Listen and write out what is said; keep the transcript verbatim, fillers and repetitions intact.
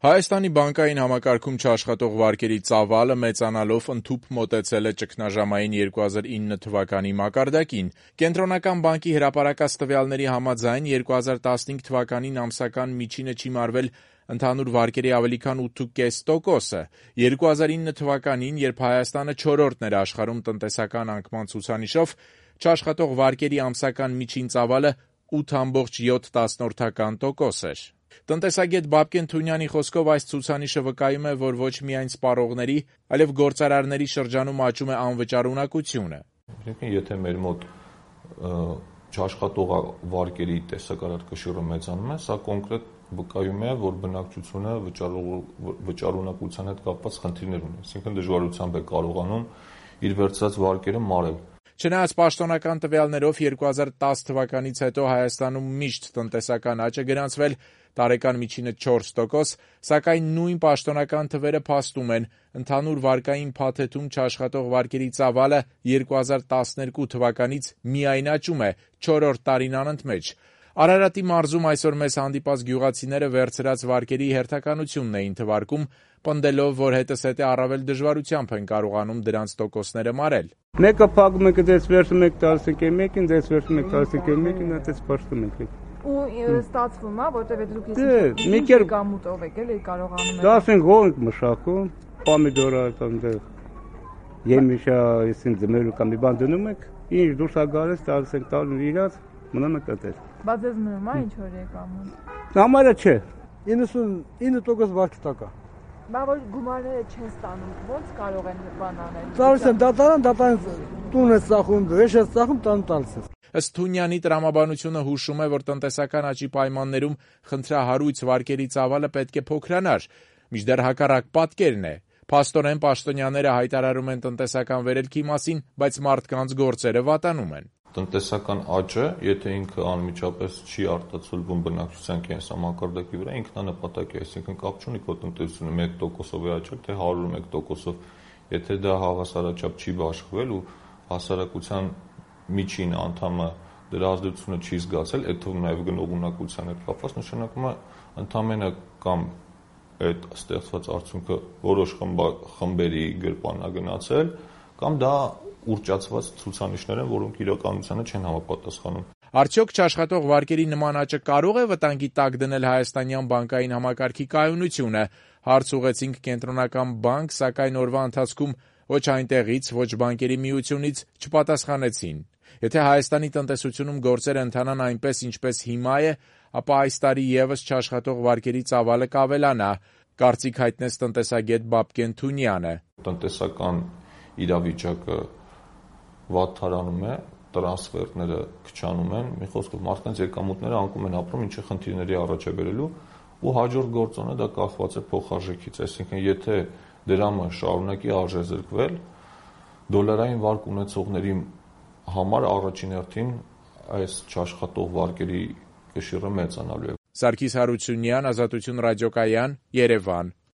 Հայաստանի բանկային համակարգում չաշխատող վարկերի ծավալը մեծանալով ընդհուպ մոտեցել է ճգնաժամային երկու հազար ինը թվականի մակարդակին։ Կենտրոնական բանկի հրապարակած տվյալների համաձայն երկու հազար տասնհինգ թվականին ամսական միջինը չիմարվել ընդհանուր վարկերի ավելի քան ութ կես տոկոսը։ երկու հազար ինը թվականին, երբ Հայաստանը չորրորդն էր աշխարհում տնտեսական անկման ցուցանիշով, չաշխատող վարկերի ամսական միջին ծավալը ութ կoma յոթ տոկոս էր։ Տնտեսագետ Բաբկեն Թունյանի խոսքով այս ցուցանիշը վկայում է, որ ոչ միայն սպառողների, այլև գործարարների շրջանում աճում է անվճար ունակությունը։ Եթե մեր մոտ չաշխատող վարկերի տեսակարար կշիռը մեծանում է, սա կոնկրետ վկայում է, որ բնակչությունը վճարունակության հետ կապված խնդիրներ ունի, այսինքն դժվարությամբ է կարողանում իր վերցրած վարկերը մարել։ Չնայած պաշտոնական տվյալներով երկու հազար տաս թվականից հետո Հայաստանում միշտ տնտեսական աճ է գրանցվել, տարեկան միջինը չորս տոկոս, սակայն նույն պաշտոնական թվերը փաստում են, ընդհանուր վարկային փաթեթում չաշխատող վարկերի ծավալը երկու հազար տասներկու թվականից միայն աճում է չորրորդ տարին անընդմեջ։ Արարատի մարզում այսօր մեզ հանդիպած գյուղացիները վերցրած վարկերի հերթականությունն էին թվարկում, պնդելով, որ հետզհետե առավել դժվարությամբ են կարողանում դրանց տոկոսները մարել։ Մեկը փակում եք, դες վերցնում եք տասնհինգ մեկին, դες վերցնում եք տասնհինգ մեկին, այդպես փաշտում եք։ Ու ստացվում է, որտեղ դուք ինչ գամուտով եք, էլի կարողանում եք։ տասնհինգ հող մշակում, պոմիդորա այդտեղ, եմիշա, այսին ձմերու կամ մի բան դնում եք, ինչ դուրս է գալիս, տալիս եք տալու իրաց, մնում եք այդպես։ Բայց ես մնում է ինչ որ եկամուտ։ Համարը չէ։ իննսունինը տոկոս վարկի տակ է։ Բա որ գումարները չեն ստանում, ո՞նց կարող են բան անել։ Տալիս են դատարան, դատարան տուն է ծախում, վեշ է ծախում, տան տալիս է։ Ըստ Թունյանի տրամաբանությունը հուշում է, որ տնտեսական աճի պայմաններում խնդրահարույց վարկերի ծավալը պետք է փոքրանար, մինչդեռ հակառակ պատկերն է։ Փաստորեն պաշտոնյաները հայտարարում են տնտեսական վերելքի մասին, բայց մարդկանց գործերը վատանում են։ Տնտեսական աճը, եթե ինքը անմիջապես չի արտացոլվում բնակչության կենսամակարդակի վրա, ինքնանպատակ է, այսինքն կապ չունի քո տնտեսությունը մեկ տոկոսով է աճել, թե հարյուր մեկ տոկոսով, եթե դա հավասարաչափ չի բաշխվել ու հասարակության միջին անդամը դրա ազդեցությունը չի զգացել, այդ թվում նաև գնողունակության հետ կապված, նշանակում է ընդամենը կամ այդ ստեղծված արդյունքը որոշ խմբերի գրպանն է գնացել, կամ դա ուռճացված ցուցանիշներ են, որոնք իրականությանը չեն համապատասխանում։ Արդյոք չաշխատող վարկերի նման աճը կարող է վտանգի տակ դնել հայաստանյան բանկային համակարգի կայունությունը։ Հարց ուղղեցինք Կենտրոնական բանկ, սակայն օրվա ընթացքում ոչ այնտեղից, ոչ բանկերի միությունից չպատասխանեցին։ Եթե Հայաստանի տնտեսությունում գործերը ընթանան այնպես, ինչպես հիմա է, ապա այս տարի ևս չաշխատող վարկերի ծավալը կավելանա, կարծիք հայտնեց տնտեսագետ Բաբկեն Թունյանը։ Տնտեսական իրավիճակը վատթարանում է, տրանսֆերտները քչանում են, մի խոսքով մարդկանց եկամուտները անկում են ապրում, ինչը խնդիրների առաջ է բերելու, ու հաջորդ գործոնը դա կախված է փոխարժեքից, այսինքն եթե դրամը շարունակի արժեզրկվել, դոլարային վարկ ունեցողների համար առաջին հերթին այս չաշխատող վարկերի կշիռը մեծանալու է։ Սարգիս Հարությունյան, Ազատություն ռադիոկայան, Երևան։